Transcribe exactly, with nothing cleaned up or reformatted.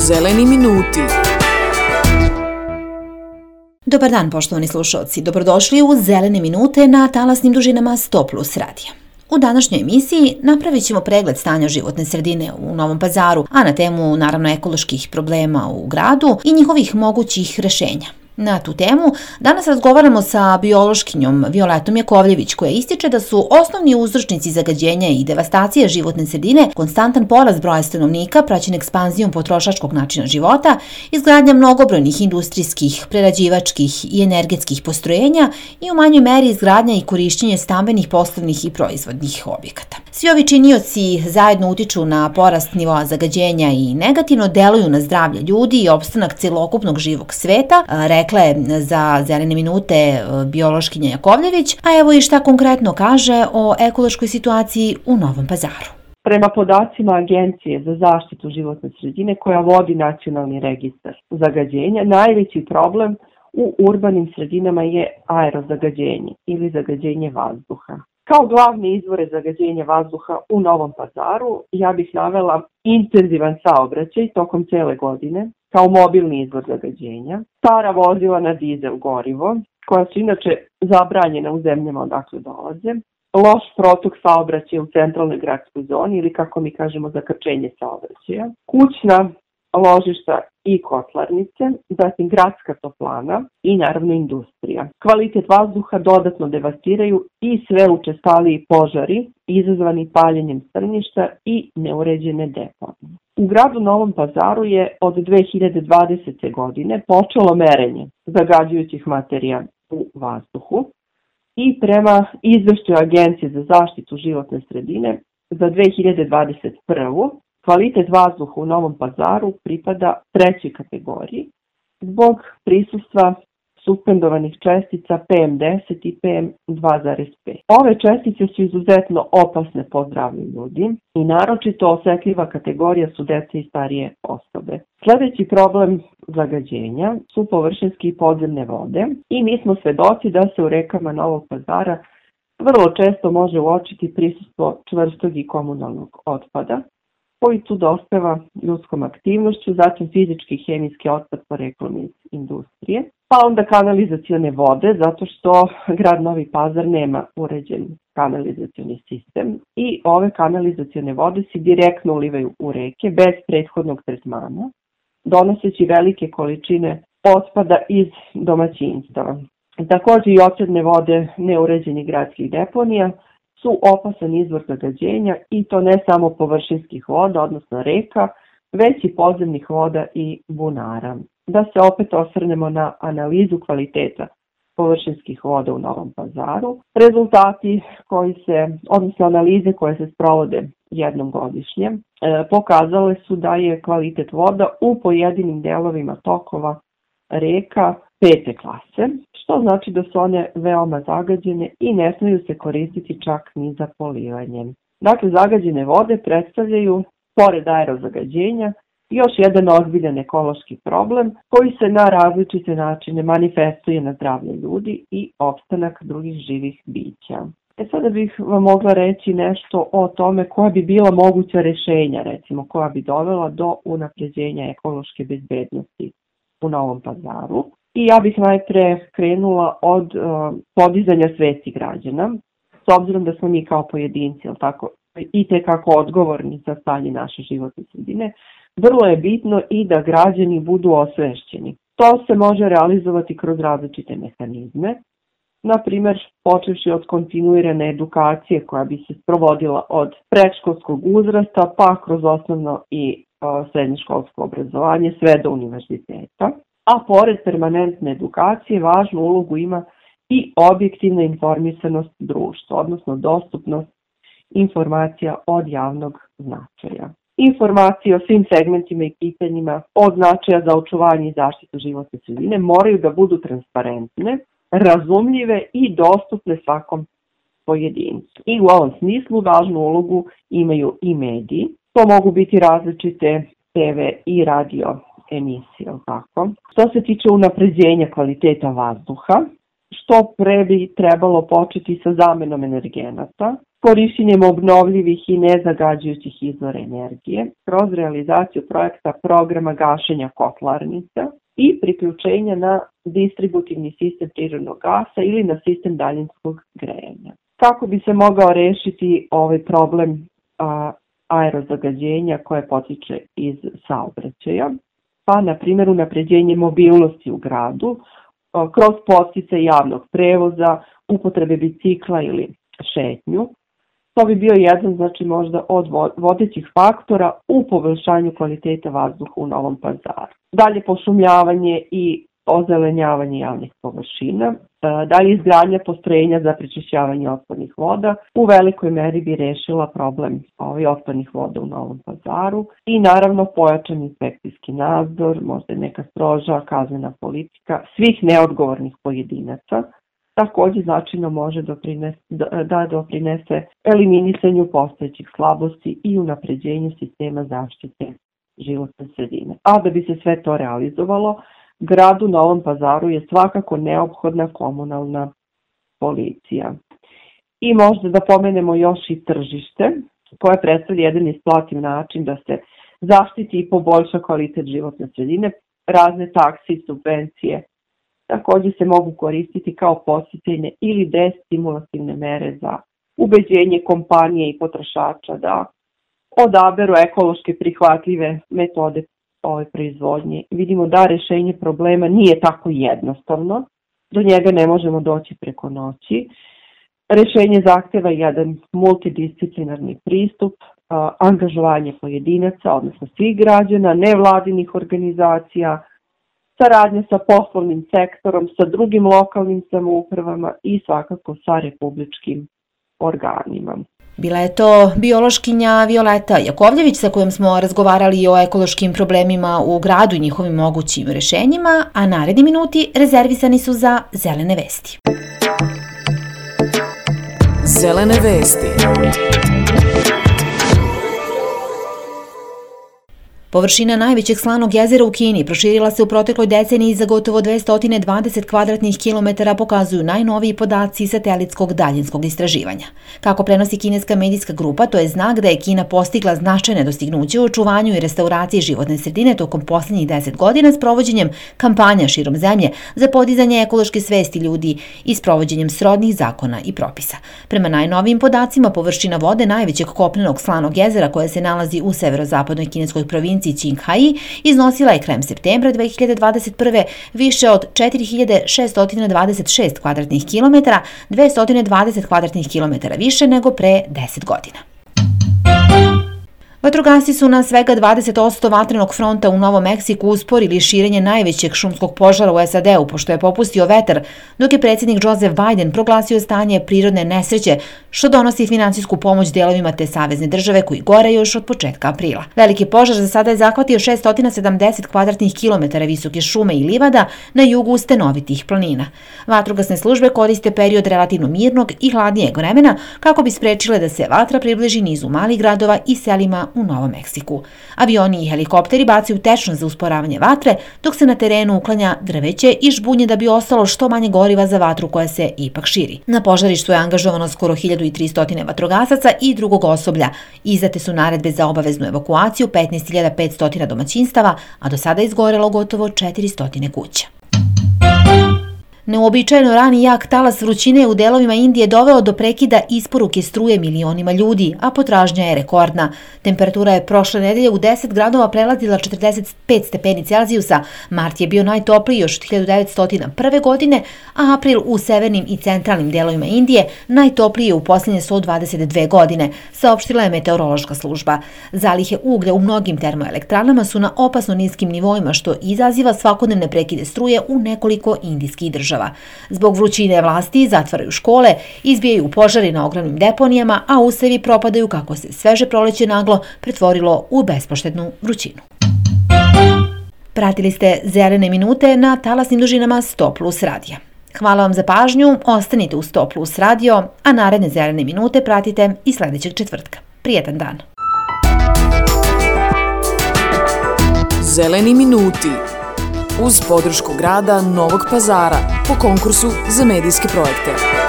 Zeleni minuti. Dobar dan, poštovani slušalci. Dobrodošli u Zelene minute na talasnim dužinama sto plus radija. U današnjoj emisiji napravit ćemo pregled stanja životne sredine u Novom Pazaru, a na temu naravno ekoloških problema u gradu i njihovih mogućih rešenja. Na tu temu danas razgovaramo sa biološkinjom Violetom Jakovljević, koja ističe da su osnovni uzročnici zagađenja i devastacije životne sredine konstantan porast broja stanovnika praćen ekspanzijom potrošačkog načina života, izgradnja mnogobrojnih industrijskih, prerađivačkih i energetskih postrojenja i u manjoj meri izgradnja i korišćenje stambenih, poslovnih i proizvodnih objekata. Svi ovi činioci zajedno utiču na porast nivoa zagađenja i negativno deluju na zdravlje ljudi i opstanak celokupnog živog sveta, rekla je za Zelene minute biološkinja Jakovljević, a evo i šta konkretno kaže o ekološkoj situaciji u Novom Pazaru. Prema podacima Agencije za zaštitu životne sredine koja vodi nacionalni registar zagađenja, najveći problem u urbanim sredinama je aerozagađenje ili zagađenje vazduha. Kao glavni izvore zagađenja vazduha u Novom Pazaru ja bih navela intenzivan saobraćaj tokom cele godine, kao mobilni izvor zagađenja, stara vozila na dizel gorivo, koja su inače zabranjena u zemljama odakle dolaze, loš protok saobraćaja u centralnoj gradskoj zoni ili kako mi kažemo zakrčenje saobraćaja, kućna ložišta i kotlarnice, zatim gradska toplana i naravno industrija. Kvalitet vazduha dodatno devastiraju i sve učestaliji požari izazvani paljenjem strnjišta i neuređene deponije. U gradu Novom Pazaru je od dve hiljade dvadesete. godine počelo merenje zagađujućih materija u vazduhu i prema izvešću Agencije za zaštitu životne sredine za dve hiljade dvadeset prvu. kvalitet vazduha u Novom Pazaru pripada trećoj kategoriji zbog prisustva suspendovanih čestica P M deset i P M dva zarez pet. Ove čestice su izuzetno opasne po zdravlje ljudi i naročito osetljiva kategorija su deca i starije osobe. Sljedeći problem zagađenja su površinske i podzemne vode i mi smo svedoci da se u rekama Novog Pazara vrlo često može uočiti prisustvo čvrstog i komunalnog otpada, koji tu dospeva ljudskom aktivnošću, zatim fizički i hemijski otpad poreklom iz industrije, pa onda kanalizacione vode, zato što grad Novi Pazar nema uređen kanalizacioni sistem i ove kanalizacione vode se direktno ulivaju u reke bez prethodnog tretmana, donoseći velike količine otpada iz domaćinstava. Također i otpadne vode neuređenih gradskih deponija su opasan izvor zagađenja i to ne samo površinskih voda, odnosno reka, već i podzemnih voda i bunara. Da se opet osvrnemo na analizu kvaliteta površinskih voda u Novom Pazaru, rezultati koji se, odnosno analize koje se sprovode jednom godišnje, e, pokazale su da je kvalitet voda u pojedinim delovima tokova reka pete klase, što znači da su one veoma zagađene i ne smiju se koristiti čak ni za polivanje. Dakle, zagađene vode predstavljaju, pored aerozagađenja, još jedan ozbiljan ekološki problem koji se na različite načine manifestuje na zdravlje ljudi i opstanak drugih živih bića. E sada bih vam mogla reći nešto o tome koja bi bila moguća rešenja, recimo koja bi dovela do unapređenja ekološke bezbednosti u Novom Pazaru. I ja bih najpre krenula od uh, podizanja svesti građana, s obzirom da smo mi kao pojedinci, jel tako, i tekako odgovorni za stanje naše životne sredine, vrlo je bitno i da građani budu osvešćeni. To se može realizovati kroz različite mehanizme, na primjer počevši od kontinuirane edukacije koja bi se sprovodila od predškolskog uzrasta pa kroz osnovno i uh, srednjoškolsko obrazovanje sve do univerziteta. A pored permanentne edukacije važnu ulogu ima i objektivna informisanost društva, odnosno dostupnost informacija od javnog značaja. Informacije o svim segmentima i pitanjima od značaja za očuvanje i zaštitu životne sredine moraju da budu transparentne, razumljive i dostupne svakom pojedincu. I u ovom smislu važnu ulogu imaju i mediji. To mogu biti različite te ve i radio emisije, tako. Što se tiče unapređenja kvaliteta vazduha, što pre bi trebalo početi sa zamenom energenata, korišćenjem obnovljivih i nezagađujućih izvora energije kroz realizaciju projekta programa gašenja kotlarnica i priključenja na distributivni sistem prirodnog gasa ili na sistem daljinskog grejanja. Kako bi se mogao rešiti ovaj problem a, aerozagađenja koje potiče iz saobraćaja? Pa, na primjer, unapređenje mobilnosti u gradu a, kroz podsticaje javnog prevoza, upotrebe bicikla ili šetnju. To bi bio jedan, znači, možda od vodećih faktora u poboljšanju kvaliteta vazduha u Novom Pazaru. Dalje, pošumljavanje i ozelenjavanje javnih površina, dalje izgradnja postrojenja za prečišćavanje otpadnih voda u velikoj meri bi rešila problem ovih otpadnih voda u Novom Pazaru i naravno pojačan inspekcijski nadzor, možda neka stroža kaznena politika svih neodgovornih pojedinaca. Takođe značajno može doprinese, da doprinese eliminisanju postojećih slabosti i unapređenju sistema zaštite životne sredine. A da bi se sve to realizovalo, gradu Novom Pazaru je svakako neophodna komunalna policija. I možda da pomenemo još i tržište, koje predstavlja jedan isplativ način da se zaštiti i poboljša kvalitet životne sredine, razne takse i subvencije. Takođe se mogu koristiti kao podsticajne ili destimulativne mere za ubeđenje kompanije i potrošača da odaberu ekološki prihvatljive metode ove proizvodnje. Vidimo da rešenje problema nije tako jednostavno, do njega ne možemo doći preko noći. Rešenje zahteva jedan multidisciplinarni pristup, angažovanje pojedinaca, odnosno svih građana, nevladinih organizacija, saradnja sa poslovnim sektorom, sa drugim lokalnim samoupravama i svakako sa republičkim organima. Bila je to biološkinja Violeta Jakovljević sa kojom smo razgovarali o ekološkim problemima u gradu i njihovim mogućim rešenjima, a naredni minuti rezervisani su za zelene vesti. Zelene vesti. Površina najvećeg slanog jezera u Kini proširila se u protekloj deceniji za gotovo dvesta dvadeset kvadratnih kilometara, pokazuju najnoviji podaci satelitskog daljinskog istraživanja. Kako prenosi kineska medijska grupa, to je znak da je Kina postigla značajne dostignuće u očuvanju i restauraciji životne sredine tokom posljednjih deset godina s provođenjem kampanja širom zemlje za podizanje ekološke svesti ljudi i s provođenjem srodnih zakona i propisa. Prema najnovijim podacima, površina vode najvećeg kopnenog slanog jezera koje se nalazi u severozapadnoj kineskoj provinciji Qinghai iznosila je krajem septembra dve hiljade dvadeset prve više od četiri hiljade šessto dvadeset šest kvadratnih kilometara, dvesta dvadeset kvadratnih kilometara više nego pre deset godina. Vatrogasci su na svega dvadeset posto vatrenog fronta u Novom Meksiku usporili širenje najvećeg šumskog požara u S A D-u pošto je popustio vetar, dok je predsjednik Joseph Biden proglasio stanje prirodne nesreće, što donosi finansijsku pomoć delovima te savezne države koji gore još od početka aprila. Veliki požar za sada je zahvatio šeststo sedamdeset kvadratnih kilometara visoke šume i livada na jugu stenovitih planina. Vatrogasne službe koriste period relativno mirnog i hladnijeg vremena kako bi sprečile da se vatra približi nizu malih gradova i selima u Novom Meksiku. Avioni i helikopteri bacaju tečnost za usporavanje vatre, dok se na terenu uklanja drveće i žbunje da bi ostalo što manje goriva za vatru koja se ipak širi. Na požarištu je angažovano skoro hiljadu tristo vatrogasaca i drugog osoblja. Izdate su naredbe za obaveznu evakuaciju petnaest hiljada petsto domaćinstava, a do sada je izgorelo gotovo četiristo kuća. Neuobičajeno rani jak talas vrućine u delovima Indije doveo do prekida isporuke struje milionima ljudi, a potražnja je rekordna. Temperatura je prošle nedelje u deset gradova prelazila četrdeset pet stepeni Celzijusa, mart je bio najtopliji još od hiljadu devetsto prve. godine, a april u severnim i centralnim delovima Indije najtopliji je u posljednje sto dvadeset dve godine, saopštila je meteorološka služba. Zalihe uglja u mnogim termoelektranama su na opasno niskim nivoima, što izaziva svakodnevne prekide struje u nekoliko indijskih država. Zbog vrućine vlasti zatvaraju škole, izbijaju požari na ogromnim deponijama, a usevi propadaju kako se sveže proleće naglo pretvorilo u bespoštednu vrućinu. Pratili ste Zelene minute na talasnim dužinama sto plus radija. Hvala vam za pažnju, ostanite u sto plus radio, a naredne Zelene minute pratite i sljedećeg četvrtka. Prijetan dan! Zeleni minuti uz podršku grada Novog Pazara po konkursu za medijske projekte.